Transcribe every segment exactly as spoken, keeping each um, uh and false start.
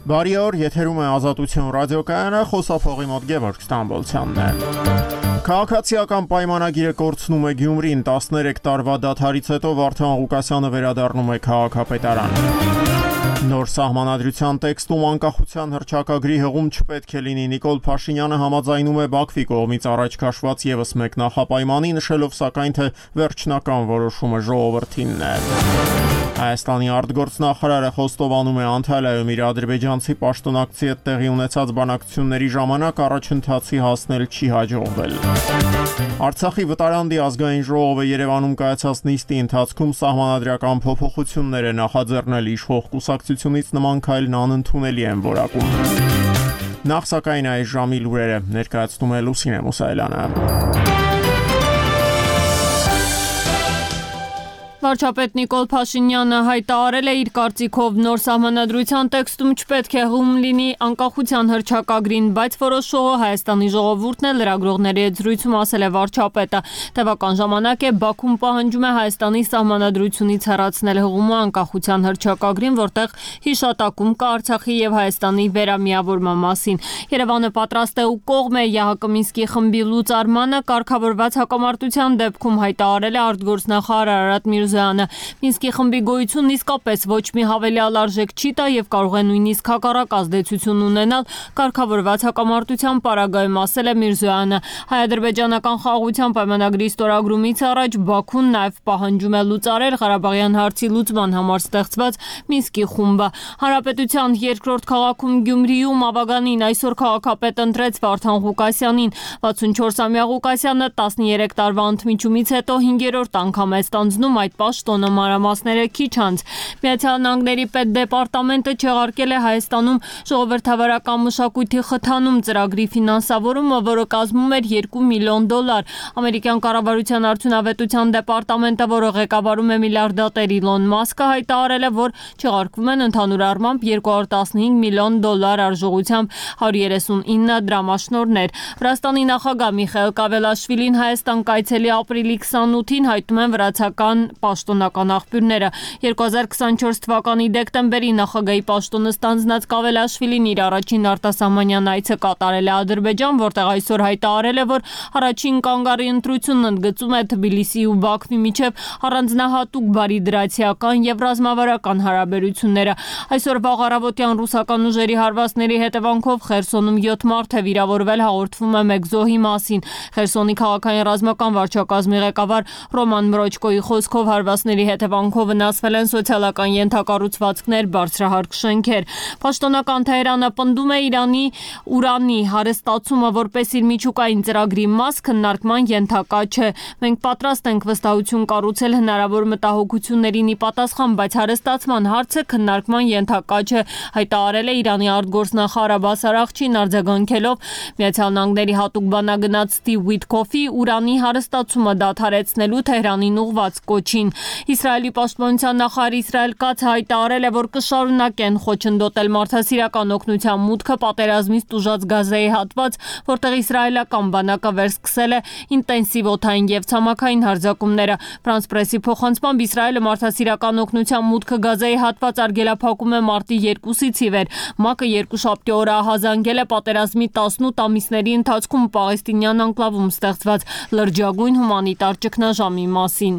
Բարի օր, եթերում է Ազատություն ռադիոկայանը, խոսափողի մոտ Գևորգ Ստամբոլցյանն է։ Քաղաքացիական պայմանագիրը կորցնում է Գյումրին, տասներեք տարվա դադարից հետո Վարդան Ղուկասյանը վերադառնում է քաղաքապետարան։ Նոր սահմանադրության տեքստում անկախության հռչակագրի հղում չպետք է լինի։ Նիկոլ Փաշինյանը համաձայնում է Բաքվի կողմից առաջ քաշված ևս մեկ նախապայմանի, նշելով սակայն, թե վերջնական որոշումը ժողովրդինն է։ Հայաստանի արտգործնախարարը խոստովանում է Անտալիայում իր ադրբեջանցի պաշտոնակցի հետ տեղի ունեցած բանակցությունների ժամանակ առաջընթացի հասնել չի հաջողվել։ Արցախի վտարանդի ազգային ժողովը Երևանում կայացած նիստի ընթացքում սահմանադրական փոփոխություններ է նախաձեռնել, իշխող կուսակցությունից նման քայլն անընդունելի են որակում։ Նախ սակայն այս ժամի լուրերը ներկայացնում է Լուսինե Մուսայելյանը։ Վարչապետ Նիկոլ Փաշինյանը հայտարարել է իր կարծիքով նոր սահմանադրության տեքստում չպետք է հում լինի անկախության հռչակագրին, բայց որոշողը Հայաստանի ժողովուրդն է, լրագրողների հետ զրույցում ասել է վարչապետը։ Տևական ժամանակ է Բաքուն պահանջում է Հայաստանի սահմանադրությունից հեռացնել հղումը անկախության հռչակագրին, որտեղ հիշատակում կա Արցախի եւ Հայաստանի վերամիավորման մասին։ Երևանը պատրաստ է ու կողմ է ԵԱՀԿ Մինսկի խմբի լուծարմանը, կարգավորված հակամարտության դեպքում հայտարարել է արտգործնախարար Արարատ Միրզոյանը։ Մինսկի խմբի գոյությունն իսկապես ոչ մի հավելյալ արժեք չի տա եւ կարող է նույնիսկ հակառակ ազդեցություն ունենալ կարգավորված հակամարտության պարագայում, ասել է Միրզոյանը։ Հայ-ադրբեջանական խաղաղության պայմանագրի ստորագրումից առաջ Բաքուն նաեւ պահանջում է լուծարել Ղարաբաղյան հարցի լուծման համար ստեղծված Մինսկի խումբը։ Հանրապետության երկրորդ քաղաքում Գյումրիում Ավագանին այսօր քաղաքապետ ընտրեց Վարդան Ղուկասյանին։ վաթսունչորսամյա Ղուկասյանը տասներեք տարվա ընդմիջումից հետո հինգերորդ անգամ է ստանձնում այդ պաշտոնը, մանրամասները քիչ անց։ Միացյալ Նահանգների պետդեպարտամենտը չեղարկել է Հայաստանում ժողովրդավարական մշակույթի խթանում ծրագրի ֆինանսավորումը, որը կազմում էր երկու միլիոն դոլար։ Ամերիկյան կառավարության արդյունավետության դեպարտամենտը, որը ղեկավարում է միլիարդատեր Իլոն Մասկը, հայտարարել է, որ չեղարկվում են ընդհանուր առմամբ երկու հարյուր տասնհինգ միլիոն դոլար արժողությամբ հարյուր երեսունինը դրամաշնորհներ։ Վրաստանի նախագահ Միխայիլ Կավելաշվիլին Հայաստան կայցելի ապրիլի քսանութին, հայտնում են վրացական պաշտոնական աղբյուրները։ երկու հազար քսանչորս թվականի դեկտեմբերի նախագահի պաշտոնը ստանձնած Կավելաշվիլին իր առաջին արտասահմանյան այցը կատարել է Ադրբեջան, որտեղ այսօր հայտարարել է, որ առաջին կանգառի ընտրությունն ընդգծում է Թբիլիսիի ու Բաքվի միջև առանձնահատուկ բարիդրացիական եւ ռազմավարական հարաբերությունները։ Այսօր վաղ առավոտյան ռուսական ուժերի հարվածների հետևանքով Խերսոնում յոթ մարդ է վիրավորվել, հաղորդվում է մեկ զոհի մասին։ Խերսոնի քաղաքային ռազմական վարչակազմի ղեկավար Ռոման Մրոչկոյի խոսքով հարվածների հետևանքով վնասվել են սոցիալական ենթակառուցվածքներ, բարձրահարկ շենքեր։ Պաշտոնական Թեհրանը պնդում է Իրանի ուրանի հարստացումը որպես իր միջուկային ծրագրի մաս քննարկման ենթակա չէ։ Մենք պատրաստ ենք վստահություն կառուցել հնարավոր մտահոգություններին ի պատասխան, բայց հարստացման հարցը քննարկման ենթակա չէ, հայտարարել է Իրանի արտգործնախարար Աբբաս Արաղչին, արձագանքելով Միացյալ Նահանգների հատուկ բանագնաց Սթիվ Ուիթքոֆի ուրանի հարստացումը դադարեցնելու Թեհրանին ուղղված կոչին։ Իսրայելի պաշտպանության նախարար Իսրայել Կացը հայտարարել է, որ կշարունակեն խոչընդոտել մարդասիրական օգնության մուտքը պատերազմից տուժած Գազայի հատված, որտեղ իսրայելական բանակը վերսկսել է ինտենսիվ օդային եւ ցամաքային հարձակումները։ Ֆրանս պրեսի փոխանցմամբ Իսրայելը մարդասիրական օգնության մուտքը Գազայի հատված արգելափակում է մարտի երկուսից ի վեր։ ՄԱԿ-ը երկուշաբթի օրը ահազանգել է պատերազմի տասնութ ամիսների ընթացքում Պաղեստինյան անկլավում ստեղծված լրջագույն հումանիտար ճգնաժամի մասին։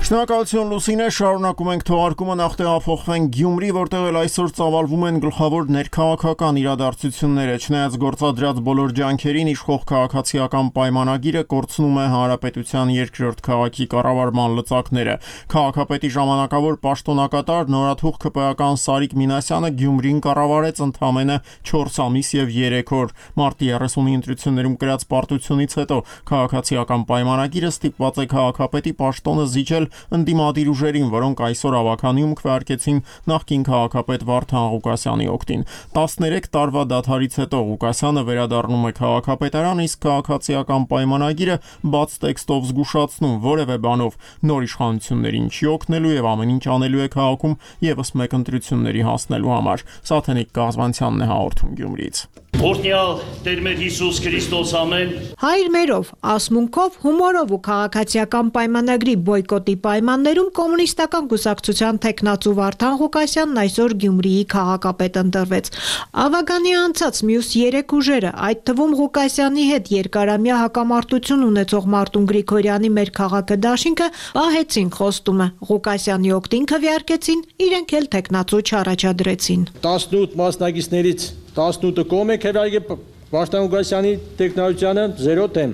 Շնորհակալություն Լուսինե, շարունակում ենք թողարկումը, նախ տեղափոխվենք Գյումրի, որտեղ էլ այսօր ծավալվում են գլխավոր ներքաղաքական իրադարձությունները։ Չնայած գործադրած բոլոր ջանքերին, իշխող քաղաքացիական պայմանագիրը կորցնում է հանրապետության երկրորդ քաղաքի կառավարման լծակները։ Քաղաքապետի ժամանակավոր պաշտոնակատար նորաթուխ ՔՊ-ական Սարիկ Մինասյանը Գյումրին կառավարեց ընդամենը չորս ամիս եւ երեք օր։ Մարտի երեսունի ընտրություններում կրած պարտությունից հետո քաղաքացիական պայմանագիրը ստիպված է քաղաքապետի պաշտոնը զիջել ընդդիմադիր ուժերին, որոնք այսօր ավականիում քվեարկեցին նախկին քաղաքապետ Վարդան Ղուկասյանի օգտին։ տասներեք տարվա դադարից հետո Ղուկասյանը վերադառնում է քաղաքապետարան, իսկ քաղաքացիական պայմանագիրը բաց տեքստով զգուշացնում որևէ բանով նոր իշխանություններին չի օգնելու եւ ամեն ինչ անելու է քաղաքում եւս մեկ ընտրությունների հասնելու համար։ Սաթենիկ Գազվանցյանն է հաղորդում Գյումրիից։ Օրհնյալ Տեր մեր Հիսուս Քրիստոս ամեն։ Հայր մերով, ասմունքով, հումորով ու քաղաքացիական պայմանագրի բոյկոտի պայմաններում կոմունիստական կուսակցության թեկնածու Վարդան Ղուկասյանն այսօր Գյումրիի քաղաքապետ ընտրվեց։ Ավագանի անցած մյուս երեք ուժերը, այդ թվում Ղուկասյանի հետ երկարամյա հակամարտություն ունեցող Մարտուն Գրիգորյանի մեր քաղաքը դաշինքը պահեցին խոստումը, Ղուկասյանի օգտին քվեարկեցին, իրենք էլ թեկնածու չառաջադրեցին։ տասնութ մասնակիցներից տասնութը կողմ է քվեարկել Վարդան Ղուկասյանի տեխնոլոգիանը զերո դեմ։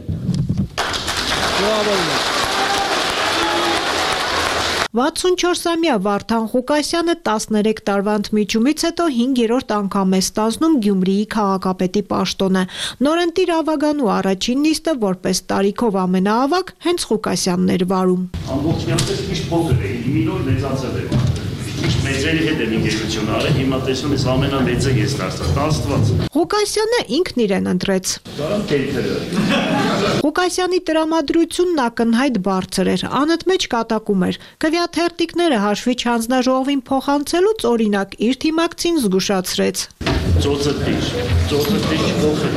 վաթսունչորսամյա Վարդան Ղուկասյանը տասներեք տարվա ընդմիջումից հետո հինգերորդ անգամ է ստանձնում Գյումրիի քաղաքապետի պաշտոնը։ Նորընտիր Ավագանու առաջին նիստը որպես տարիքով ամենաավագ հենց Ղուկասյանն էր վարում։ Ամբողջությամբ միշտ փոքր է, իմինոր մեծացել է։ Մեծերի հետ եմ ինգերություն արել, հիմա տեսնում ես ամենամեծը ես դարձա, Աստված։ Ղուկասյանը ինքն իրեն ընտրեց։ Դարան կերպերը։ Ղուկասյանի տրամադրությունն ակնհայտ բարձր էր, անընդմեջ կատակում էր։ Քվեաթերթիկները հաշվի չհանձնաժողովին փոխանցելուց օրինակ իր թիմակցին զգուշացրեց։ Ծոցը դիշ, ծոցը դիշ փոխել։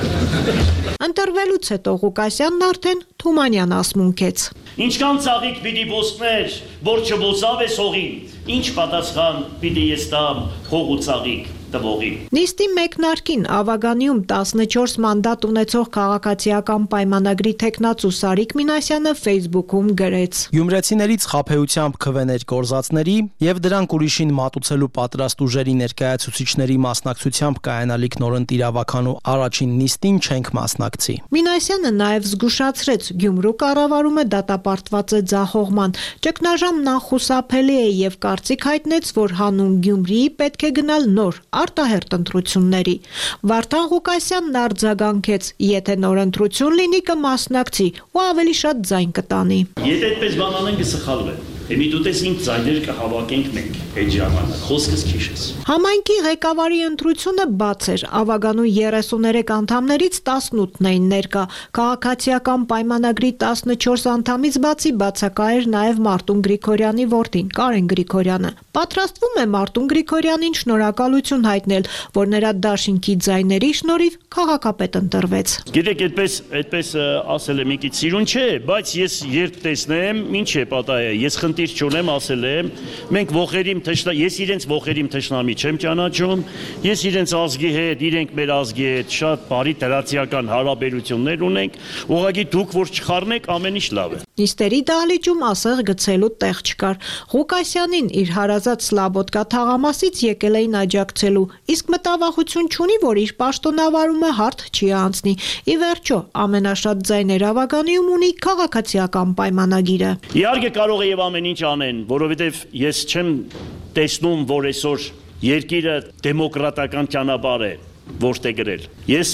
Ընտրվելուց հետո Ղուկասյանն արդեն Թումանյան ասմունքեց։ Ինչքան ծաղիկ պիտի ոսներ, որ չբոսավ է սողին, ինչ պատասխան պիտի ես տամ հող ու ծաղիկ տվողի։ Նիստի մեկնարկին Ավագանիում տասնչորս մանդատ ունեցող քաղաքացիական պայմանագրի թեկնածու Սարիկ Մինասյանը Facebook-ում գրեց. Գյումրեցիներից խաբեությամբ քվեներ կորզածների եւ դրանք ուրիշին մատուցելու պատրաստ ուժերի ներկայացուցիչների մասնակցությամբ կայանալիք նորընտիր Ավագանու առաջին նիստին չենք մասնակցի։ Մինասյանը նաեւ զգուշացրեց Գյումրու կառավարումը դատապարտված է ձախողման, ճգնաժամն անխուսափելի է եւ կարծիք հայտնեց, որ հանուն Գյումրիի պետք է գնալ նոր արտահերտ ընտրությունների։ Վարդան Ղուկասյանն արձագանքեց, եթե նոր ընտրություն լինի կմասնակցի ու ավելի շատ ձայն կտանի։ Եթե այդպես բան անեն կսխալվեն։ Էմի դու տես ինձ ձայներ կհավաքենք մենք այդ ժամանակ, խոսքս քիչ ես։ Համայնքի ղեկավարի ընտրությունը բաց էր, Ավագանու երեսուներեք անդամներից տասնութն էին ներկա, քաղաքացիական պայմանագրի տասնչորս անդամից բացի բացակա էր նաև Մարտուն Գրիգորյանի որդին Կարեն Գրիգորյանը։ Պատրաստվում է Մարտուն Գրիգորյանին շնորհակալություն հայտնել, որ նրա դաշինքի ձայների շնորհիվ քաղաքապետ ընտրվեց։ Գիտեք, այդպես այդպես ասել եմ ինքից սիրուն չէ, բայց ես երբ տեսնեմ, ինչ է պատահել, ես խնդիր չունեմ, ասել եմ, մենք ողերիմ թշնա, ես իրենց ողերիմ թշնամի չեմ ճանաչում, ես իրենց ազգի հետ, իրենք մեր ազգի հետ շատ բարի դրացիական հարաբերություններ ունենք, ուղղակի դուք որ չխառնեք, ամեն ինչ լավ է։ Նիստերի դահլիճում ասեղ գցելու տեղ չկար։ Ղուկասյանին իր հարազատ Սլաբոդկա թաղամասից եկել էին աջակցելու, իսկ մտավախություն չունի, որ իր պաշտոնավարումը հարթ չի անցնի։ Ի վերջո, ամենաշատ ձայներ Ավագանիում ունի քաղաքացիական պայմանագիրը։ Իհարկե կարող է եւ ամեն ինչ անեն, որովհետեւ ես չեմ տեսնում, որ այսօր երկիրը դեմոկրատական ճանապարհ է որտե գրել։ Ես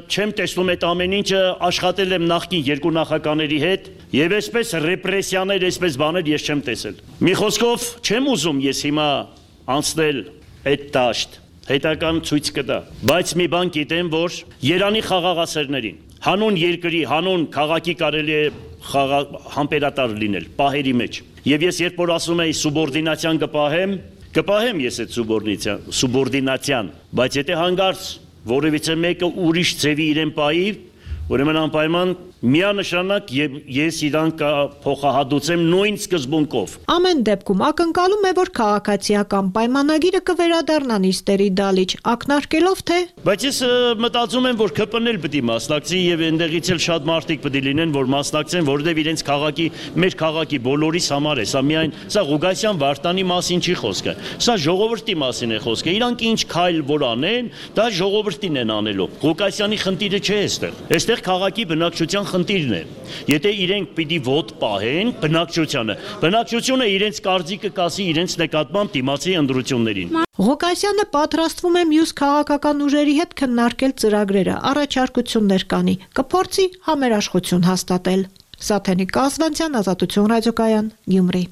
չեմ տեսնում այդ ամեն ինչը, աշխատել եմ նախկին երկու նախագահների հետ եւ այսպես ռեպրեսիաներ, այսպես բաներ ես չեմ տեսել։ Մի խոսքով չեմ ուզում ես հիմա անցնել այդ դաշտ, հետական ցույց կտա, բայց մի բան գիտեմ, որ Երանի խաղաղասերներին, հանուն երկրի, հանուն քաղաքի կարելի է համբերատար լինել պահերի մեջ։ Եվ ես երբ որ ասում եի սուբորդինացիան կպահեմ, կպահեմ ես այդ սուբորդինացիան, սուբորդինացիան, բայց եթե հանգարց որևիցե մեկը ուրիշ ձևի իրեն պահի, ուրեմն անպայման միանշանակ եւ ես իրան կփոխահատուցեմ նույն սկզբունքով։ Ամեն դեպքում ակնկալում է, որ քաղաքացիական պայմանագիրը կվերադառնա նիստերի դալիճ, ակնարկելով թե Բայց ես մտածում եմ, որ ԿՊՆ-ն էլ պետք է մասնակցի եւ այնտեղից էլ շատ մարդիկ պետք է լինեն, որ մասնակցեն, որովհետեւ իրենց քաղաքի, մեր քաղաքի բոլորիս համար է, սա միայն սա Ղուկասյան Վարդանի մասին չի խոսքը։ Սա ժողովրդի մասին է խոսքը։ Իրանք ինչ քայլ որ անեն, դա ժողովրդին են անելու։ Ղուկասյանի խնդիրը չէ այստեղ։ Այստեղ քաղաքի բնակչության խնդիրն է։ Եթե իրենք պիտի ոտ պահեն բնակչությանը, բնակչությունը իրենց կարծիքը կասի իրենց նկատմամբ դիմացի ընտրություններին։ Ղուկասյանը պատրաստվում է մյուս քաղաքական ուժերի հետ քննարկել ծրագրերը, առաջարկություններ կանի, կփորձի համերաշխություն հաստատել։ Սաթենիկ Կազվանցյան, Ազատություն ռադիոկայան, Գյումրի։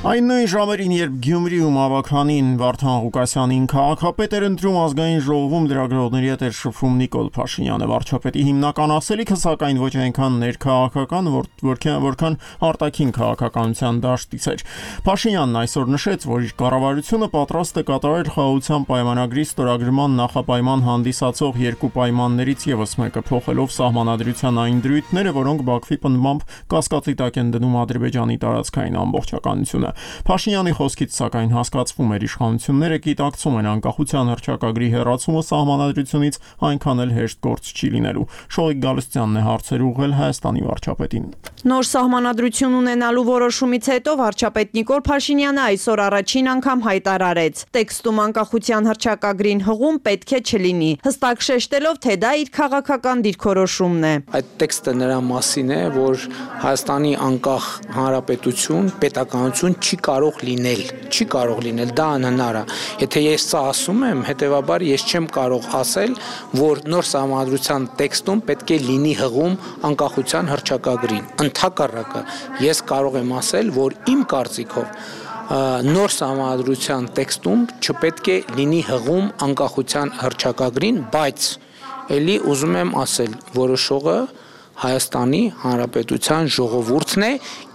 Այն նույն ժամերին, երբ Գյումրիում ավականին Վարդան Ղուկասյանին քաղաքապետ էր ընտրում, ազգային ժողովում լրագրողների հետ էր շփվում Նիկոլ Փաշինյանը։ Վարչապետի հիմնական ասելիքը սակայն ոչ այնքան ներքաղաքական, որքան արտաքին քաղաքականության դաշտից էր։ Փաշինյանն այսօր նշեց, որ իր կառավարությունը պատրաստ է կատարել խաղաղության պայմանագրի ստորագրման նախապայման հանդիսացող երկու պայմաններից ևս մեկը, փոխելով սահմանադրության այն դրույթները, որոնք Բաքվի պնդմամբ կասկածի տակ են դնում Ադրբեջանի տարածքային ամբողջականությունը։ Փաշինյանի խոսքից սակայն հասկացվում էր իշխանությունները գիտակցում են անկախության հռչակագրի հեռացումը սահմանադրությունից այնքան էլ հեշտ գործ չի լինելու։ Շողիկ Գալստյանն է հարցեր ուղղել Հայաստանի վարչապետին։ Նոր սահմանադրություն ունենալու որոշումից հետո վարչապետ Նիկոլ Փաշինյանը այսօր առաջին անգամ հայտարարեց. տեքստում անկախության հռչակագրին հղում պետք է չլինի, հստակ շեշտելով, թե դա իր քաղաքական դիրքորոշումն է։ Այդ տեքստը նրա մասին է, որ Հայաստանի անկախ հանրապետություն, պետականություն չի կարող լինել, չի կարող լինել, դա անհնար է։ Եթե ես սա ասում եմ, հետեւաբար ես չեմ կարող ասել, որ նոր սահմանադրության տեքստում պետք է լինի հղում անկախության հռչակագրին։ Ընդհակառակը, ես կարող եմ ասել, որ իմ կարծիքով նոր սահմանադրության տեքստում չպետք է լինի հղում անկախության հռչակագրին, բայց էլի ուզում եմ ասել, որոշողը Հայաստանի Հանրապետության ժողովուրդն է,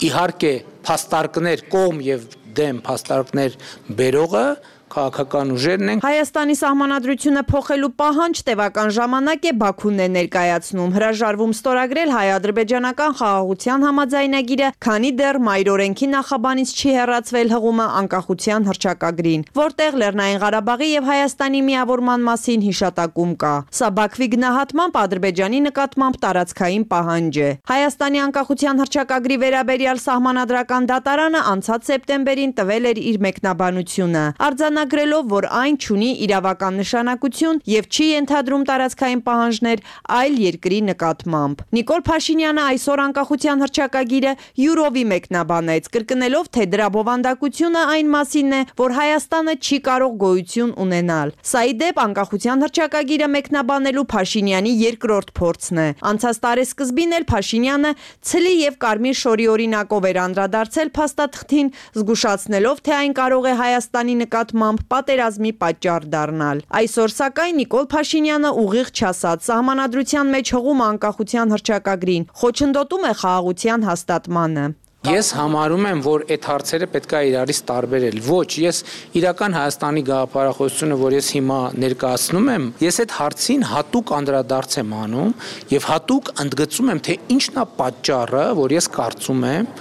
իհարկե փաստարկներ կողմ եւ դեմ փաստարկներ բերողը քաղաքական ուժերն են։ Հայաստանի սահմանադրությունը փոխելու պահանջ տևական ժամանակ է Բաքուն է ներկայացնում, հրաժարվում ստորագրել հայ-ադրբեջանական խաղաղության համաձայնագիրը, քանի դեռ մայրօրենքի նախաբանից չի հեռացվել հղումը անկախության հռչակագրին, որտեղ Լեռնային Ղարաբաղի եւ Հայաստանի միավորման մասին հիշատակում կա։ Սա Բաքվի գնահատմամբ Ադրբեջանի նկատմամբ տարածքային պահանջ է։ Հայաստանի անկախության հռչակագրի վերաբերյալ սահմանադրական դատարանը անցած սեպտեմբերին տվել էր իր մեկնաբանությունը։ Արձանագրելով, որ այն չունի իրավական նշանակություն եւ չի ենթադրում տարածքային պահանջներ այլ երկրի նկատմամբ։ Նիկոլ Փաշինյանը այսօր անկախության հռչակագիրը յուրովի մեկնաբանեց, կրկնելով, թե դրա բովանդակությունը այն մասինն է, որ Հայաստանը չի կարող գոյություն ունենալ։ Սա ի դեպ անկախության հռչակագիրը մեկնաբանելու Փաշինյանի երկրորդ փորձն է։ Անցած տարեսկզբին էլ Փաշինյանը ցլի եւ կարմիր շորի օրինակով էր անդրադարձել փաստաթղթին, զգուշացնելով, թե այն կարող է Հայաստանի նկատմամբ պատերազմի պատճառ դառնալ։ Այսօր սակայն Նիկոլ Փաշինյանը ուղիղ չասած սահմանադրության մեջ հղում անկախության հռչակագրին խոչընդոտում է խաղաղության հաստատմանը։ Ես համարում եմ, որ այդ հարցերը պետք է իրարից տարբերել։ Ոչ, ես իրական Հայաստանի գաղափարախոսությունը, որ ես հիմա ներկայացնում եմ, ես այդ հարցին հատուկ անդրադարձ եմ անում եւ հատուկ ընդգծում եմ, թե ինչն է պատճառը, որ ես կարծում եմ,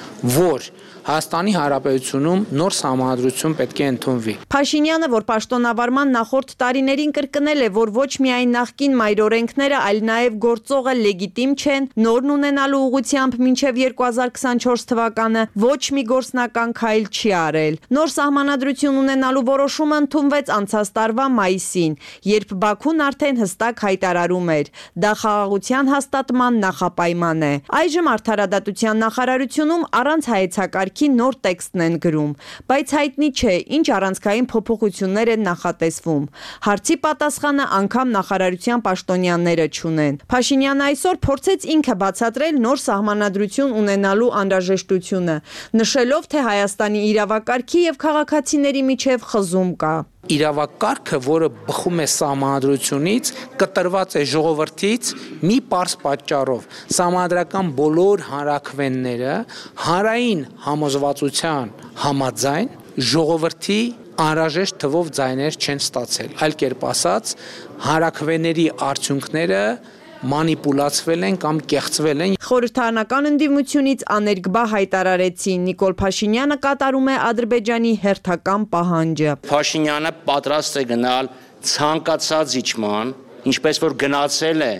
որ Հայաստանի Հանրապետությունում նոր սահմանադրություն պետք է ընդունվի։ Փաշինյանը, որ պաշտոնավարման նախորդ տարիներին կրկնել է, որ ոչ միայն նախկին մայրօրենքները, այլ նաև գործողը լեգիտիմ չեն, նորն ունենալու ուղղությամբ մինչև երկու հազար քսանչորս թվականը ոչ մի գործնական քայլ չի արել։ Նոր սահմանադրություն ունենալու որոշումը ընդունվեց անցած տարվա մայիսին, երբ Բաքուն արդեն հստակ հայտարարում էր. դա խաղաղության հաստատման նախապայման է։ Այժմ Արդարադատության նախարարությունում առանց հայեցակարգ նոր տեքստն են գրում, բայց հայտնի չէ, ինչ առանցքային փոփոխություններ են նախատեսվում։ Հարցի պատասխանը անգամ նախարարության պաշտոնյաները չունեն։ Փաշինյանը այսօր փորձեց ինքը բացատրել նոր սահմանադրություն ունենալու անհրաժեշտությունը, նշելով, թե Հայաստանի իրավակարգի եւ քաղաքացիների միջև խզում կա։ Իրավակարգը, որը բխում է սահմանադրությունից, կտրված է ժողովրդից մի պարզ պատճառով։ Սահմանադրական բոլոր հանրաքվենները հանրային համոզվածության համաձայն ժողովրդի անհրաժեշտ թվով ձայներ չեն ստացել։ Այլ կերպ ասած, հանրաքվեների արդյունքները մանիպուլացվել են կամ կեղծվել են։ Խորհրդարանական ընդդիմությունից աներկբա հայտարարեցին Նիկոլ Փաշինյանը կատարում է Ադրբեջանի հերթական պահանջը։ Փաշինյանը պատրաստ է գնալ ցանկացած իջման, ինչպես որ գնացել է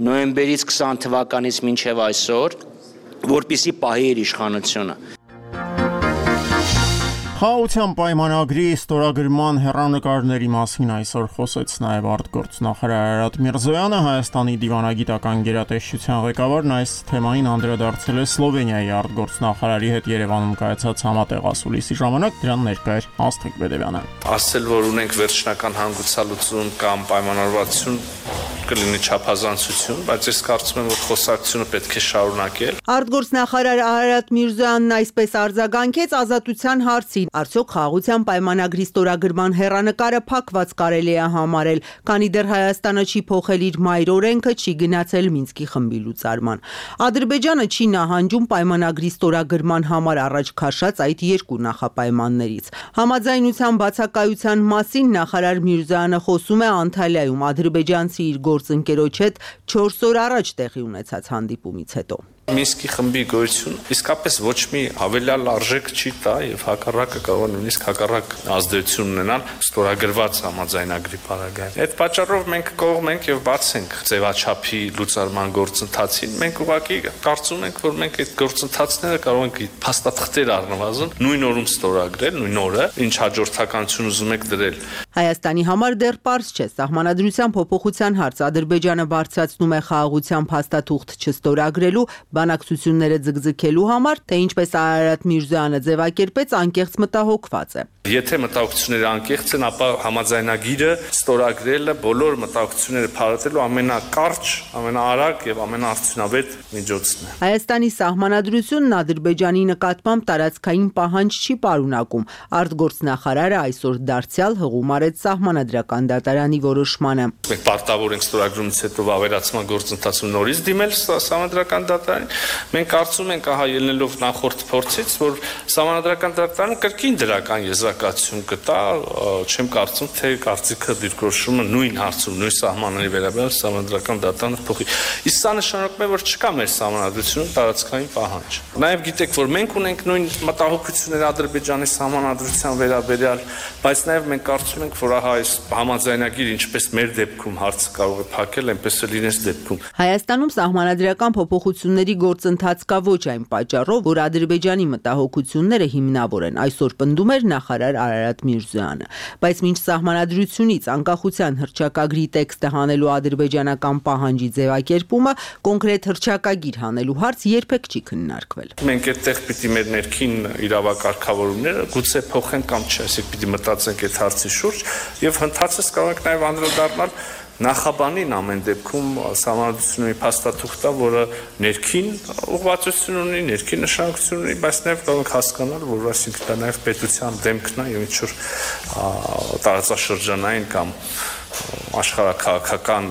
նոյեմբերից քսան թվականից մինչև այսօր, որպիսի պահի իր իշխանությունը։ Խաղաղության պայմանագրի ստորագրման հեռանկարների մասին այսօր խոսեց նաև արտգործնախարար Արարատ Միրզոյանը, Հայաստանի դիվանագիտական գերատեսչության ղեկավարն այս թեմային անդրադարձել է Սլովենիայի արտգործնախարարի հետ Երևանում կայացած համատեղ ասուլիսի ժամանակ, դրան ներկա էր Աստղիկ Բեդևյանը։ Ասել, որ ունենք վերջնական հանգուցալուծում կամ պայմանավորվածություն կլինի չափազանցություն, բայց ես կարծում եմ, որ խոսակցությունը պետք է շարունակել։ Արտգործնախարար Արարատ Միրզոյանն այսպես արձագանքեց ազատության հարցին. արդյոք խաղաղության պայմանագրի ստորագրման հեռանկարը փակված կարելի է համարել, քանի դեռ Հայաստանը չի փոխել իր մայր օրենքը, չի գնացել Մինսկի խմբի լուծարման։ Ադրբեջանը չի նահանջում պայմանագրի ստորագրման համար առաջ քաշած այդ երկու նախապայմաններից։ Համաձայնության բացակայության մասին նախարար Միրզոյանը խոսում է Անտալիայում ադրբեջանցի իր գործընկերոջ հետ չորս օր առաջ տեղի ունեցած հանդիպումից հետո։ Մինսկի խմբի գոյությունը իսկապես ոչ մի հավելյալ արժեք չի տա եւ հակառակը կարող է նույնիսկ հակառակ ազդեցություն ունենալ ստորագրված համաձայնագրի պարագայում։ Այդ պատճառով մենք կողմենք եւ բաց ենք ձևաչափի լուծարման գործընթացին։ Մենք ուղղակի կարծում ենք, որ մենք այդ գործընթացները կարող ենք փաստաթղթեր առնվազն նույն օրում ստորագրել, նույն օրը, ինչ հաջորդականություն ուզում եք դրել։ Հայաստանի համար դեռ պարզ չէ սահմանադրության փոփոխության հարց Ադրբեջանը բարձրացնում է խաղաղության փաստաթուղթ չստորագրելու բանակցությունները ձգձգելու համար, թե ինչպես Արարատ Միրզոյանը ձևակերպեց, անկեղծ մտահոգված է։ Եթե մտահոգությունները անկեղծ են, ապա համաձայնագիրը ստորագրելը բոլոր մտահոգությունները փարատելու ամենակարճ, ամենաարագ եւ ամենաարդյունավետ միջոցն է։ Հայաստանի սահմանադրությունն Ադրբեջանի նկատմամբ տարածքային պահանջ չի պարունակում։ Արտգործնախարարը այսօր դարձյալ հղում արեց սահմանադրական դատարանի որոշմանը։ Մենք պարտավոր ենք ստորագրումից հետո ավերացման գործընթացում նորից դիմել սահմանադրական դատարանին։ Մենք կարծում ենք, ահա ելնելով նախորդ փորձից, որ սահմանադրական դատարանը կրկին դրական եզրակացություն կտա, չեմ կարծում, թե կարծիքը դիրքորոշումը նույն հարցում, նույն սահմանների վերաբերյալ սահմանադրական դատարանը փոխի։ Իսկ սա նշանակում է, որ չկա մեր սահմանադրությունում տարածքային պահանջ։ Նաև գիտեք, որ մենք ունենք նույն մտահոգությունները Ադրբեջանի սահմանադրության վերաբերյալ, բայց նաև մենք կարծում ենք, որ ահա այս համաձայնագիրը ինչպես մեր դեպքում հարցը կարող է փակել, այնպես էլ իրենց դեպքում։ Հայաստանում սահմանադրական փոփոխությունների գործընթաց կա ոչ այն պատճառով, որ Ադրբեջանի մտահոգությունները հիմնավոր են, այսօր պնդում էր նախարար Արարատ Միրզոյանը, բայց մինչ սահմանադրությունից անկախության հռչակագրի տեքստը հանելու ադրբեջանական պահանջի ձևակերպումը կոնկրետ հռչակագիր հանելու հարց երբեք չի քննարկվել։ Մենք այդտեղ պիտի մեր ներքին իրավակարգավորումները գուցե փոխենք կամ չէ, այսինքն պիտի մտածենք այդ հարցի շուրջ եւ հնդածս կարող ենք նաեւ անդրադառնալ նախաբանին ամեն դեպքում սահմանադրությունների փաստաթուղթը, որը ներքին ուղղվածություն ունի, ներքին նշանակություն ունի, բայց նաև կարող ենք հասկանալ, որ այսինքն դա նաև պետության դեմքն է եւ ինչ որ տարածաշրջանային կամ աշխարհաքաղաքական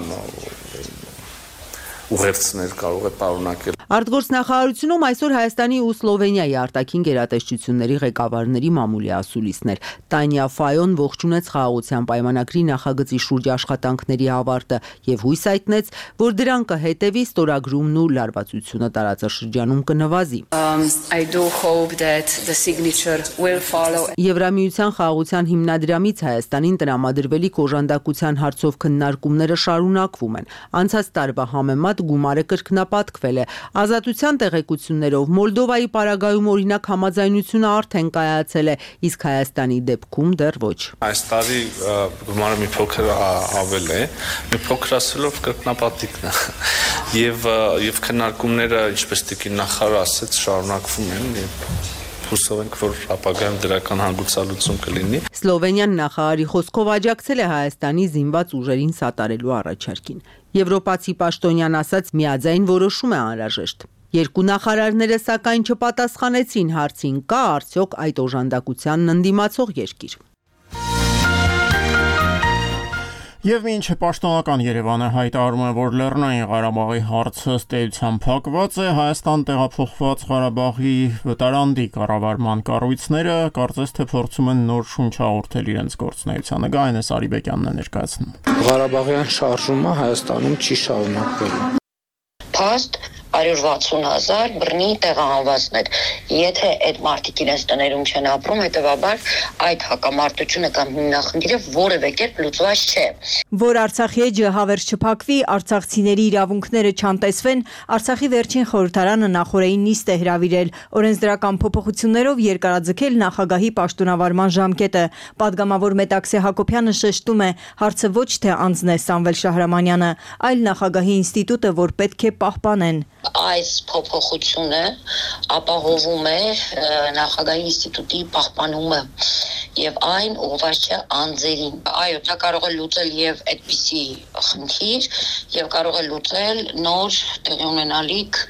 ուղերձներ կարող է պարունակել։ Արտգործնախարարությունում այսօր Հայաստանի ու Սլովենիայի արտաքին գերատեսչությունների ղեկավարների մամուլի ասուլիսներ Տանյա Ֆայոն ողջունեց խաղաղության պայմանագրի նախագծի շուրջ աշխատանքների ավարտը եւ հույս հայտնեց, որ դրան կհետեւի ստորագրումն ու լարվածությունը տարածաշրջանում կնվազի։ Եվրամիության խաղաղության հիմնադրամից Հայաստանին տրամադրվելիք օժանդակության հարցով քննարկումները շարունակվում են։ Անցած տարվա համեմատ գումարը կրկնապատկվել է։ Ազատության տեղեկություններով Մոլդովայի պարագայում օրինակ համաձայնությունը արդեն կայացել է, իսկ Հայաստանի դեպքում դեռ ոչ։ Այս տարի գումարը մի փոքր ավել է, մի փոքր ասելով կրկնապատիկն է։ Եվ եւ քննարկումները, ինչպես տիկին նախարարը ասաց, շարունակվում են եւ հուսով ենք, որ ապագայում դրական հանգուցալուծում կլինի։ Սլովենիան նախարարի խոսքով աջակցել է Հայաստանի զինված ուժերին սատարելու առաջարկին։ Եվրոպացի պաշտոնյան ասաց, միաձայն որոշում է անհրաժեշտ։ Երկու նախարարները սակայն չպատասխանեցին հարցին, կա արդյոք այդ օժանդակությանն ընդդիմացող երկիր։ Եվ մինչ պաշտոնական Երևանը հայտարարում է, որ Լեռնային Ղարաբաղի հարցը ըստ էության փակված է, Հայաստան տեղափոխված Ղարաբաղի վտարանդի կառավարման կառույցները կարծես թե փորձում են նոր շունչ հաղորդել իրենց գործունեությանը։ Գայնես Արիբեկյանն է ներկայացնում։ Ղարաբաղյան շարժումը Հայաստանում չի շարունակվելու։ Փաստ հարյուր վաթսուն հազար բռնի տեղահանվածներ։ Եթե այդ մարդիկ իրենց տներում չեն ապրում, հետևաբար այդ հակամարտությունը կամ հիմնախնդիրը որևէ կերպ լուծված չէ։ Որ Արցախի էջը հավերժ չփակվի, արցախցիների իրավունքները չանտեսվեն, Արցախի վերջին խորհրդարանը նախորդային նիստ է հրավիրել, օրենսդրական փոփոխություններով երկարաձգել նախագահի պաշտոնավարման ժամկետը։ Պատգամավոր Մետաքսե Հակոբյանը շեշտում է, հարցը ոչ թե անձն է Սամվել Շահրամանյանը, այլ նախագահի ինստիտուտը, որ պետք է պահպանեն։ Այս փոփոխությունը ապահովում է նախագահի ինստիտուտի պահպանումը եւ այն ուղղված չէ անձերին։ Այո, դա կարող է լուծել եւ այդպիսի խնդիր եւ կարող է լուծել նոր տեղի ունենալիք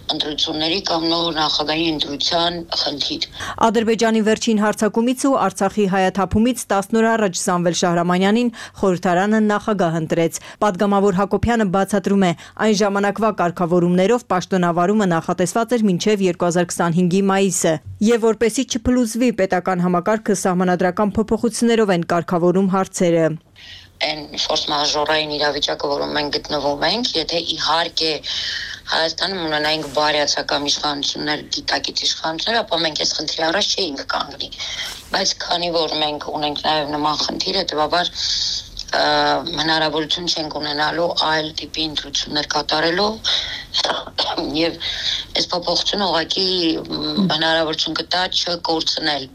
ընտրությունների կամ նոր նախագահի ընտրության խնդիր։ Ադրբեջանի վերջին հարձակումից ու Արցախի հայաթափումից տասն օր առաջ Սամվել Շահրամանյանին խորհրդարանը նախագահ ընտրեց։ Պատգամավոր Հակոբյանը բացատրում է, այն ժամանակվա կարգավորումներով պաշտոնավարումը նախատեսված էր մինչև երկու հազար քսանհինգի մայիսը, եւ որպեսզի չփլուզվի պետական համակարգը սահմանադրական փոփոխություններով են կարգավորում հարցերը։ Այն ֆորս մաժորային իրավիճակը, որում մենք գտնվում ենք, եթե իհարկե Հայաստանում ունենայինք բարյացակամ իշխանություններ, դիտակից իշխանություններ, ապա մենք այս խնդրի առաջ չէինք կանգնի։ Բայց քանի որ մենք ունենք նաև նման խնդիր, հետևաբար հնարավորություն չենք ունենալու այլ տիպի ընտրություններ կատարելու եւ այս փոփոխությունը ուղղակի հնարավորություն կտա չկորցնել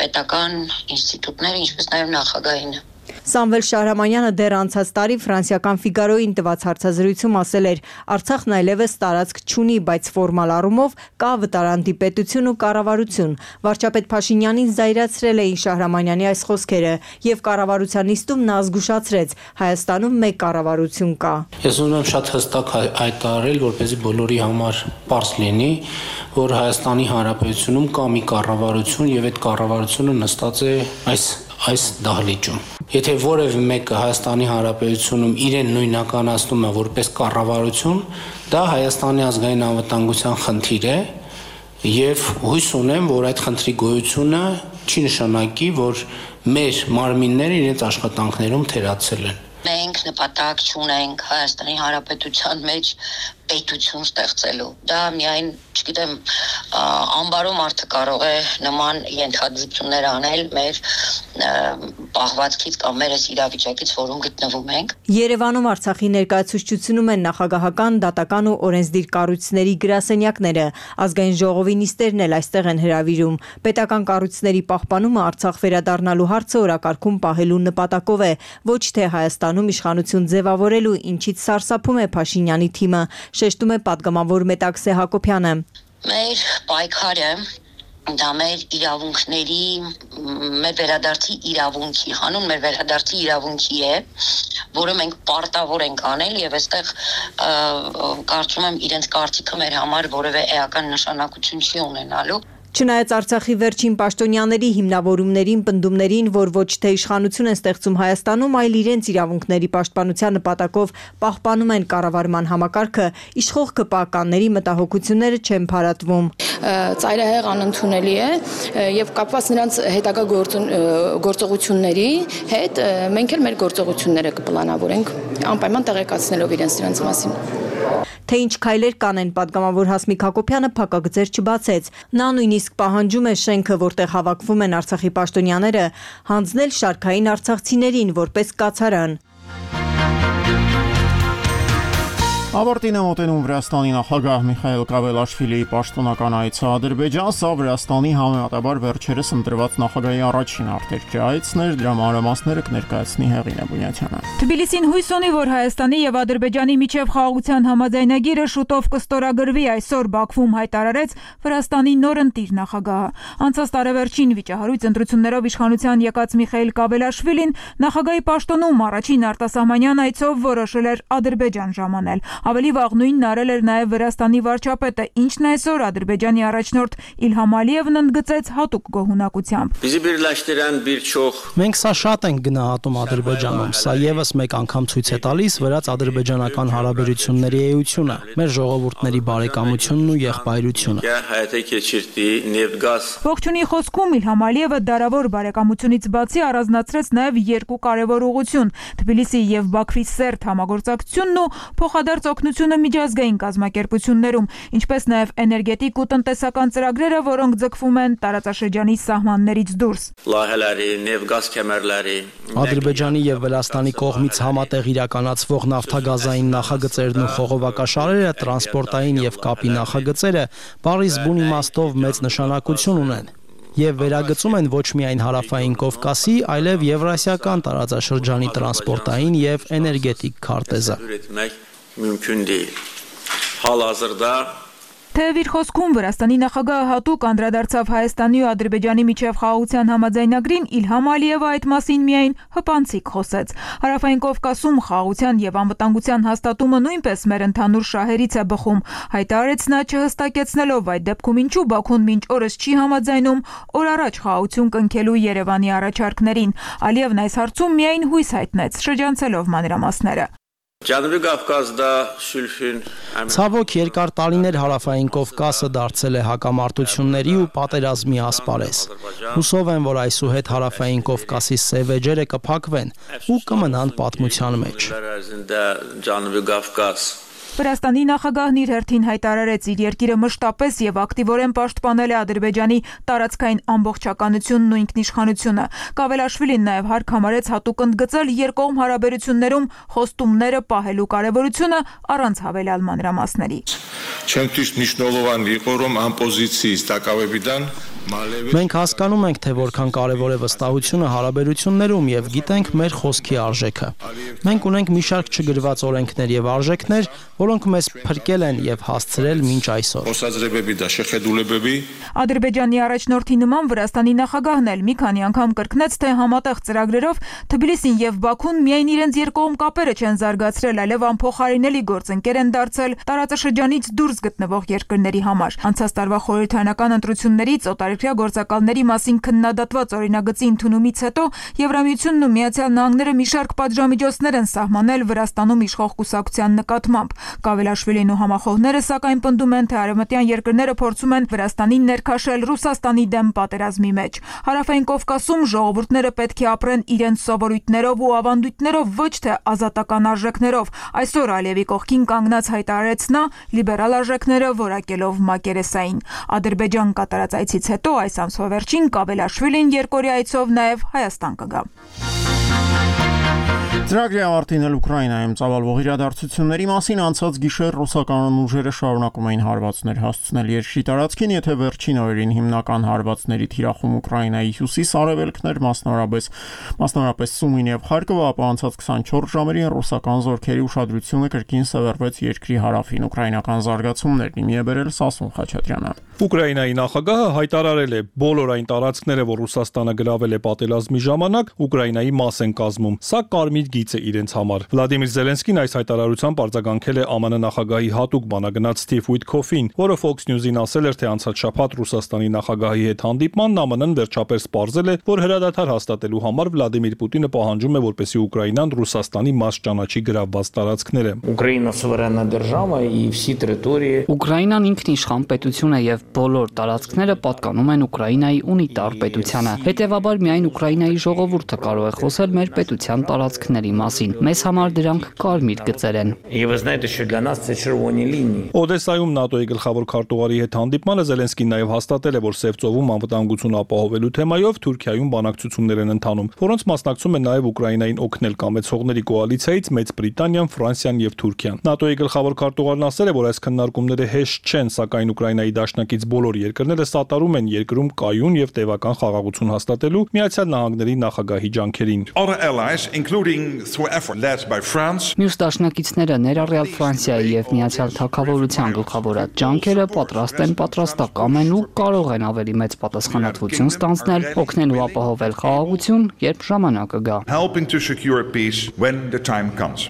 պետական ինստիտուտները, ինչպես նաև նախագահին։ Սամվել Շահրամանյանը դեռ անցած տարի ֆրանսիական Ֆիգարոյին տված հարցազրույցում ասել էր. Արցախն այլևս տարածք չունի, բայց ֆորմալ առումով կա վտարանդի պետություն ու կառավարություն։ Վարչապետ Փաշինյանին զայրացրել էին Շահրամանյանի այս խոսքերը եւ կառավարության նիստում նա զգուշացրեց. Հայաստանում մեկ կառավարություն կա։ Ես ուզում եմ շատ հստակ հայտարարել, որպեսզի բոլորի համար պարզ լինի, որ Հայաստանի Հանրապետությունում կա մի կառավարություն եւ այդ կառավարությունը նստած է այս այս դահլիճում։ Եթե որևէ մեկը Հայաստանի Հանրապետությունում իրեն նույնականացնում է որպես կառավարություն, դա Հայաստանի ազգային անվտանգության խնդիր է եւ հույս ունեմ, որ այդ խնդրի գոյությունը չի նշանակի, որ մեր մարմինները իրենց աշխատանքներում թերացել են։ Մենք նպատակ չունենք Հայաստանի Հանրապետության մեջ պետություն ստեղծելու։ Դա միայն, չգիտեմ, անբարո մարդը կարող է նման ենթադրություններ անել մեր պահվածքից կամ մեր այս իրավիճակից, որում գտնվում ենք։ Երևանում Արցախի ներկայացուցչությունում են նախագահական, դատական ու օրենսդիր կառույցների գրասենյակները, ազգային ժողովի նիստերն էլ այստեղ են հրավիրում։ Պետական կառույցների պահպանումը Արցախ վերադառնալու հարցը օրակարգում պահելու նպատակով է, ոչ թե Հայաստանում իշխանություն ձևավորելու, ինչից սարսափում է Փաշինյանի թիմը, շեշտում է պատգամավոր Մետաքսե Հակոբյանը։ Մեր պայքարը դա մեր իրավունքների, մեր վերադարձի իրավունքի, հանուն մեր վերադարձի իրավունքի է, որը մենք պարտավոր ենք անել եւ այստեղ կարծում եմ իրենց կարծիքը մեր համար որևէ էական նշանակություն չի ունենալու։ Չնայած Արցախի վերջին պաշտոնյաների հիմնավորումներին, պնդումներին, որ ոչ թե իշխանություն են ստեղծում Հայաստանում, այլ իրենց իրավունքների պաշտպանության նպատակով պահպանում են կառավարման համակարգը, իշխող ԿՊԱ-կանների մտահոգությունները չեն փարատվում։ Ծայրահեղ անընդունելի է եւ կապված նրանց հետագա գործողությունների հետ մենք էլ մեր գործողությունները կպլանավորենք, անպայման տեղեկացնելով իրենց դրանց մասին։ Թե ինչ քայլեր կանեն, պատգամավոր Հասմիկ Հակոբյանը փակագծեր չբացեց։ Նա նույնիսկ պահանջում է շենքը, որտեղ հավաքվում են Արցախի պաշտոնյաները, հանձնել շարքային արցախցիներին որպես կացարան։ Ավարտին է մոտենում Վրաստանի նախագահ Միխայիլ Կավելաշվիլիի պաշտոնական այցը Ադրբեջան, սա Վրաստանի համեմատաբար վերջերս ընտրված նախագահի առաջին արտերկրի այցն էր, դրա մանրամասները կներկայացնի Հեղինե Բունյաթյանը։ Թբիլիսին հույս ունի, որ Հայաստանի եւ Ադրբեջանի միջև խաղաղության համաձայնագիրը շուտով կստորագրվի, այսօր Բաքվում հայտարարեց Վրաստանի նոր ընտիր նախագահը։ Անցած տարեվերջին վիճահարույց ընտրություններով իշխանության եկած Միխայիլ Կավելաշվիլին նախագահի պաշտոնում առաջին արտասահմանյան այցով որոշել էր Ադրբեջան ժամանել։ Ավելի վաղ նույնն արել էր նաև Վրաստանի վարչապետը, ինչն այսօր Ադրբեջանի առաջնորդ Իլհամ Ալիևն ընդգծեց հատուկ գոհունակությամբ։ Մենք սա շատ ենք գնահատում Ադրբեջանում, սա եւս մեկ անգամ ցույց է տալիս վրաց-ադրբեջանական հարաբերությունների էությունը, մեր ժողովուրդների բարեկամությունն ու եղբայրությունը։ Ողջունի խոսքում Իլհամ Ալիևը դարավոր բարեկամությունից բացի առանձնացրեց նաև երկու կարևոր ուղղություն՝ Թբիլիսի եւ Բաքվի սերտ համագործակցությունն ու փոխադարձ օգնությունը միջազգային կազմակերպություններում, ինչպես նաև էներգետիկ ու տնտեսական ծրագրերը, որոնք ձգվում են տարածաշրջանի սահմաններից դուրս։ Ադրբեջանի եւ Վրաստանի կողմից համատեղ իրականացվող նավթագազային նախագծերն ու խողովակաշարերը, տրանսպորտային եւ կապի նախագծերը բառից բուն իմաստով մեծ նշանակություն ունեն եւ վերագծում են ոչ միայն հարավային Կովկասի, այլև եվրասիական տարածաշրջանի տրանսպորտային եւ էներգետիկ քարտեզը։ Mümkün değil. Halihazırda Թեև իր խոսքում Վրաստանի նախագահը հատուկ անդրադարձավ Հայաստանի ու Ադրբեջանի միջև խաղաղության համաձայնագրին, Իլհամ Ալիևը այդ մասին միայն հպանցիկ խոսեց։ Հարավային Կովկասում խաղաղության եւ անվտանգության հաստատումը նույնպես մեր ընդհանուր շահերից է բխում, հայտարարեց նա, չհստակեցնելով այդ դեպքում ինչու Բաքուն մինչ օրս չի համաձայնում օր առաջ խաղաղություն կնքելու Երևանի առաջարկներին։ Ալիևն այս հարցում միայն հույս հայտնեց, շրջանցելով մանրամասները։ Ցավոք երկար տարիներ Հարավային Կովկասը դարձել է հակամարտությունների ու պատերազմի ասպարեզ։ Հուսով եմ, որ այսուհետ Հարավային Կովկասի սև էջերը կփակվեն ու կմնան պատմության մեջ։ Վրաստանի նախագահն իր հերթին հայտարարեց, իր երկիրը մշտապես եւ ակտիվորեն պաշտպանել է Ադրբեջանի տարածքային ամբողջականությունն ու ինքնիշխանությունը։ Կավելաշվիլին նաեւ հարկ համարեց հատուկ ընդգծել երկկողմ հարաբերություններում խոստումները պահելու կարեւորությունը առանց հավելյալ մանրամասների։ Մենք հասկանում ենք, թե որքան կարևոր է վստահությունը հարաբերություններում եւ գիտենք մեր խոսքի արժեքը։ Մենք ունենք մի շարք չգրված օրենքներ եւ արժեքներ, որոնք մեզ փրկել են եւ հասցրել մինչ այսօր։ Ադրբեջանի առաջնորդի նման Վրաստանի նախագահն էլ մի քանի անգամ կրկնեց, թե համատեղ ծրագրերով Թբիլիսին եւ Բաքուն միայն իրենց երկկողմ կապերը չեն զարգացրել, այլև անփոխարինելի գործընկեր են դարձել տարածաշրջանից դուրս գտնվող երկրների համար։ Անցած տարվա խորհրդարանական ընտրություններից օտարերկրյա գործակալների մասին քննադատված օրինագծի ընդունումից հետո Եվրամիությունն ու Միացյալ Նահանգները մի շարք պատժամիջոցներ են սահմանել Վրաստանում իշխող կուսակցության նկատմամբ։ Կավելաշվիլին ու համախոհները սակայն պնդում են, թե արևմտյան երկրները փորձում են Վրաստանին ներքաշել Ռուսաստանի դեմ պատերազմի մեջ։ Հարավային Կովկասում ժողովուրդները պետք է ապրեն իրենց սովորույթներով ու ավանդույթներով, ոչ թե ազատական արժեքներով։ Այսօր Ալիևի կողքին կանգնած հայտարարեց նա, լիբերալ արժեքները որակելով մակերեսային։ Ադրբեջան կատարած այցից հետո այս ամսվա վերջին Կավելաշվիլին երկօրյա այցով նաև Հայաստան կգա։ Ծրագրի ավարտին էլ Ուկրաինայում ծավալվող իրադարձությունների մասին անցած գիշեր ռուսական ուժերը շարունակում էին հարվածներ հասցնել երկրի տարածքին, եթե վերջին օրերին հիմնական հարվածների թիրախում Ուկրաինայի հյուսիս-արևելքներ, մասնավորապես մասնավորապես Սումին եւ Խարկովը, ապա անցած քսանչորս ժամերին ռուսական զորքերի ուշադրությունը կրկին սևեռվեց երկրի հարավին։ Ուկրաինական զարգացումներն իմի է բերել Սասուն Խաչատրյանը։ Ուկրաինայի նախագահը հայտարարել է, բոլոր այն տարածքները, որ Ռուսաստանը գրավել է պատերազմի ժամանակ, Ուկրաինայի մաս են կազմում։ Սա կարմիր գիծ է իրենց համար։ Վլադիմիր Զելենսկին այս հայտարարությամբ արձագանքել է ԱՄՆ նախագահի հատուկ բանագնաց Սթիվ Ուիթքոֆին, որը Fox News-ին ասել էր, թե անցած շաբաթ Ռուսաստանի նախագահի հետ հանդիպմանն ԱՄՆ-ն վերջապես պարզել է, որ հրադադար հաստատելու համար Վլադիմիր Պուտինը պահանջում է, որպեսզի Ուկրաինան Ռուսաստանի մաս ճանաչի գրավված տարածքները։ Ուկրաինան ինքնիշխան պետություն է եւ բոլոր տարածքները պատկանում են Ուկրաինայի ունիտար պետությանը։ Հետևաբար միայն Ուկրաինայի ժողովուրդը կարող է խոսել մեր պետության տարածքների մասին։ Մեզ համար դրանք կարմիր գծեր են։ Օդեսայում ՆԱՏՕ-ի գլխավոր քարտուղարի հետ հանդիպմանը Զելենսկին նաև հաստատել է, որ Սև ծովում անվտանգություն ապահովելու թեմայով Թուրքիայում բանակցություններ են ընթանում, որոնց մասնակցում են նաև Ուկրաինային օգնել կամեցողների կոալիցիայից Մեծ Բրիտանիան, Ֆրանսիան եւ Թուրքիան։ ՆԱՏՕ-ի գլխավոր քարտուղարն ասել է, որ այս քննարկումները հեշտ չեն, սակայն Ուկրաինայի դաշնակից բոլոր երկրները սատարում են երկրում կայուն եւ տևական խաղաղություն հաստատելու Միացյալ Նահանգների նախագահի ջանքերին։ Մյուս դաշնակիցները, ներառյալ Ֆրանսիայի եւ Միացյալ Թագավորության գլխավորած ջանքերը պատրաստ են, պատրաստակամ են ու կարող են ավելի մեծ պատասխանատվություն ստանձնել, օգնելու ապահովել խաղաղություն, երբ ժամանակը գա։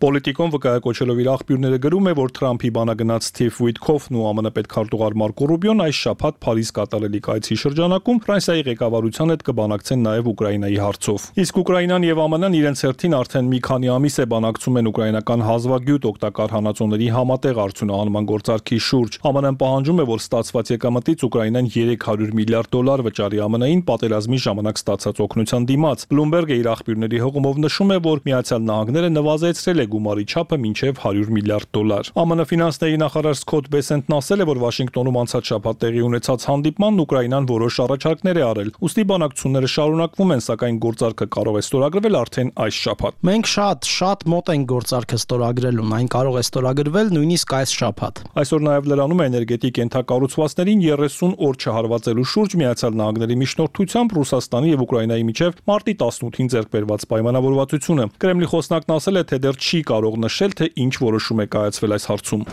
Պոլիտիկոն վկայակոչելով իր աղբյուրները գրում է, որ Թրամփի բանագնաց Սթիվ Ուիթքոֆն ու ԱՄՆ պետքարտուղար Մարկո Ռուբիոն այս շաբաթ Փարիզ կատարելիք այցի շրջանակում Ֆրանսիայի ղեկավարության հետ կբանակցեն նաև Ուկրաինայի հարցով։ Իսկ Ուկրաինան եւ ԱՄՆ-ն իրենց հերթին արդեն մի քանի ամիս է բանակցում են ուկրաինական հազվագյուտ օգտակար հանածոների համատեղ արդյունահանման գործարքի շուրջ։ ԱՄՆ-ն պահանջում է, որ ստացված եկամտից Ուկրաինան երեք հարյուր միլիարդ դոլար վճարի ԱՄՆ-ին պատերազմի ժամանակ ստացած օգնության դիմաց։ Bloomberg-ը իր աղբյուրների հողումով նշում է, որ Միացյալ Նահանգները նվազեցրել է գումարի չափը մինչև հարյուր միլիարդ դոլար։ ԱՄՆ ֆինանսների նախարար Սքոթ Բեսենտն ասել է, որ Վաշինգտոնում անցած շաբաթ տեղի ունեցած հանդիպմանն Ուկրաինան որոշ առաջարկներ է արել։ Ուստի բանակցությունները շարունակվում են, սակայն գործարքը կարող է ստորագրվել արդեն այս շաբաթ։ Մենք շատ, շատ մոտ ենք գործարքը ստորագրելուն, այն կարող է ստորագրվել նույնիսկ այս շաբաթ։ Այսօր նաև լրանում է էներգետիկ ենթակառուցվածքներին երեսուն օր չհարվածելու շուրջ Միացյալ Նահանգների միջնորդությամբ Ռուսաստանի եւ Ուկրաինայի միջև մարտի տասնութին ձեռք բերված պայմանավորվածությունը։ Կրեմլի խոսնակն ասել է, թե դեռ չի կարող նշել, թե ինչ որոշում է կայացվել այս հարցում։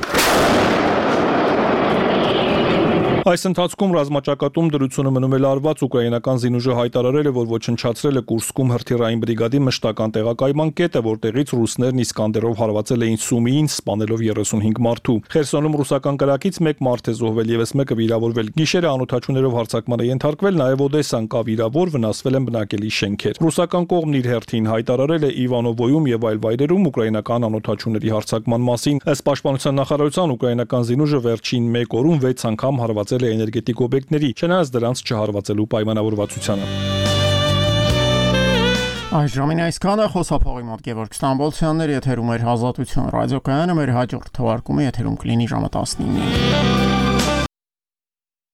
Այս ընթացքում ռազմաճակատում դրությունը մնում է լարված, ուկրաինական զինուժը հայտարարել է, որ ոչնչացրել է Կուրսկում հրթիռային բրիգադի մշտական տեղակայման կետը, որտեղից ռուսներն Իսկանդերով հարվածել էին Սումիին, սպանելով երեսունհինգ մարդու։ Խերսոնում ռուսական կրակից մեկ մարդ է զոհվել, եւս մեկը վիրավորվել։ Գիշերը անօթաչուներով հարձակման է ենթարկվել, նաեւ Օդեսան կա վիրավոր, վնասվել են բնակելի շենքեր։ Ռուսական կողմն իր հերթին հայտարարել է Իվանովոյում եւ այլ վայրերում ուկրաինական անօթաչուների հարձակման մասին։ Ըստ պաշտպանության նախարարության ուկրաինական զինուժը վերջին մեկ օրում վեց անգամ հարվածել է էներգետիկ օբյեկտների, չնայած դրանց չհարվածելու պայմանավորվածությանը։ Այս ժամին այսքանը խոսափողի մոտ Գևորգ Ստամբոլցյաններ եթերում էր Ազատություն ռադիոկայանը, մեր հաջորդ թողարկումը եթերում կլինի ժամը տասնինը։